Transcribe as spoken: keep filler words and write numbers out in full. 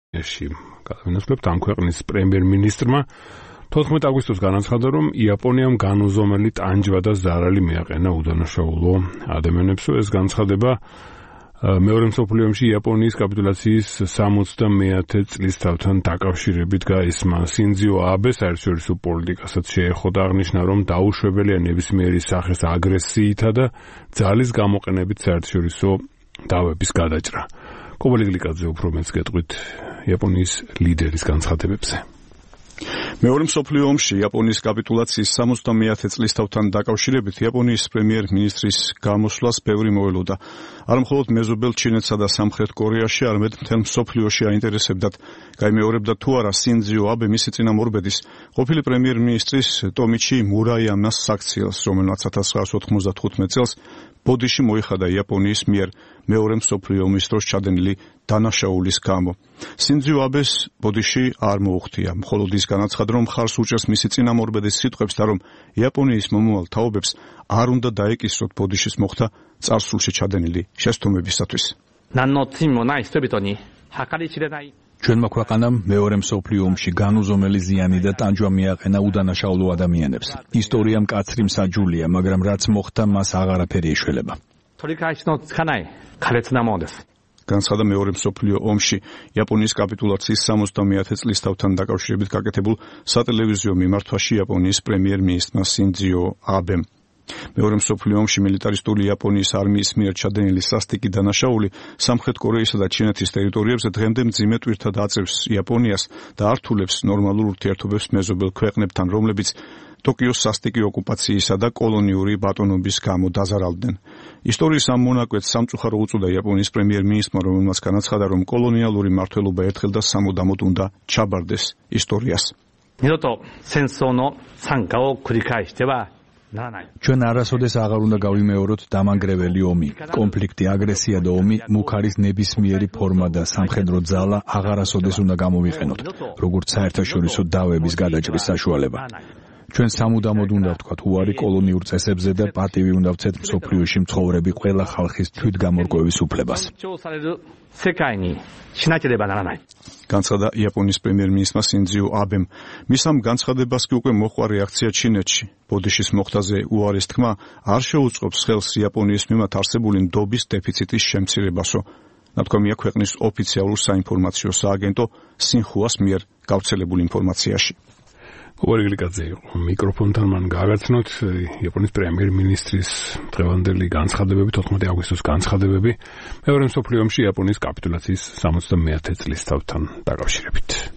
ეში გადავინაცვლებთ ამ ქვეყნის პრემიერ-მინისტრმა თოთხმეტ აგვისტოს განაცხადა, რომ იაპონიამ განუზომელი ტანჯვა და ზარალი მიაყენა უდანაშაულო ადამიანებს. ეს განცხადება მეორე მსოფლიო ომში იაპონიის კაპიტულაციის სამოცდამეათე წლისთავთან დაკავშირებით გაისმა. სინძიო აბე საერთაშორისო პოლიტიკასაც შეეხო და აღნიშნა, რომ დაუშვებელია ნებისმიერი სახის აგრესიითა და ძალის გამოყენებით საერთაშორისო დავების გადაჭრა. კობალე გლიკაძე უფრო მეც გეტყვით იაპონიის ლიდერის განცხადებებზე. მეორე მსოფლიო ომში იაპონიის კაპიტულაციის სამოცდამეათე წლისთავთან დაკავშირებით იაპონიის პრემიერ-მინისტრის გამოსვლას ბევრი მოელოდა. არა მხოლოდ მეზობელ ჩინეთსა და სამხრეთ კორეაში, არამედ მთელ მსოფლიოში აინტერესებდათ, გაიმეორებდა თუ არა სინძიო აბე მისი წინამორბედის, ყოფილი პრემიერ-მინისტრის ტომიჩი მურაიამას საქციელს, რომელმაც ათას ცხრაასი ოთხმოცდათხუთმეტ წელს ბოდიში მოიხადა იაპონიის მიერ მეორე მსოფლიო ომის დროს ჩადენილი დანაშაულის გამო. სინძიო აბეს ბოდიში არ მოუხდია, მხოლოდ ის განაცხადა, რომ მხარს უჭერს მისი წინამორბედის სიტყვებს და რომ იაპონიის მომავალ თაობებს არ უნდა დაეკისროთ ბოდიშის მოხდა წარსულში ჩადენილი შეცდომებისათვის. ჩვენმა ქვეყანამ მეორე მსოფლიო ომში განუზომელი ზიანი და ტანჯვა მიაყენა უდანაშაულო ადამიანებს. ისტორია მკაცრი მსაჯულია, მაგრამ რაც მოხდა, მას აღარაფერი ეშველება. განცხადა მეორე მსოფლიო ომში იაპონიის კაპიტულაციის სამოცდამეათე წლისთავთან დაკავშირებით გაკეთებულ სატელევიზიო მიმართვაში იაპონიის პრემიერ-მინისტრმა სინძიო აბემ. მეორე მსოფლიო ომში მილიტარისტული იაპონიის არმიის მიერ ჩადენილი სასტიკი დანაშაული სამხრეთ კორეისა და ჩინეთის ტერიტორიებზე დღემდე მძიმე ტვირთად აწევს იაპონიას და ართულებს ნორმალურ ურთიერთობებს მეზობელ ქვეყნებთან, რომლებიც ტოკიოს სასტიკი ოკუპაციისა და კოლონიური ბატონობის გამო დაზარალდნენ. ისტორიის ამ მონაკვეთს სამწუხარო უწოდა იაპონიის პრემიერ-მინისტრმა, რომელმაც განაცხადა, რომ კოლონიალური მმართველობა ერთხელ და სამუდამოდ უნდა ჩაბარდეს ისტორიას. ჩვენ არასოდეს აღარ უნდა გავიმეოროთ დამანგრეველი ომი. კონფლიქტი, აგრესია და ომი მუქ არის ნებისმიერი ფორმა და სამხედრო ძალა აღარასოდეს უნდა გამოვიყენოთ, როგორც საერთაშორისო დავების გადაჭრის საშუალება. ჩვენ სამუდამოდ უნდა ვთქვათ უარი კოლონიურ წესებზე და პატივი უნდა ვცეთ მსოფლიოში მცხოვრები ყველა ხალხის თვითგამორკვევის უფლებას. განცხადა იაპონიის პრემიერ-მინისტრმა სინძიო აბემ. მის ამ განცხადებას კი უკვე მოჰყვა რეაქცია ჩინეთში. ბოდიშის მოხდაზე უარის თქმა არ შეუწყობს ხელს იაპონიის მიმართ არსებული ნდობის დეფიციტის შემცირებასო. ნათქვამია ქვეყნის ოფიციალურ საინფორმაციო სააგენტო სინხუას მიერ გავრცელებულ ინფორმაციაში. კობალე გლიკაძე იყო მიკროფონთან, მან გააგრძნოთ იაპონიის პრემიერ-მინისტრის დღევანდელი განცხადებები, თოთხმეტი აგვისტოს განცხადებები მეორე მსოფლიო ომში იაპონიის კაპიტულაციის სამოცდამეათე წლისთავთან დაკავშირებით.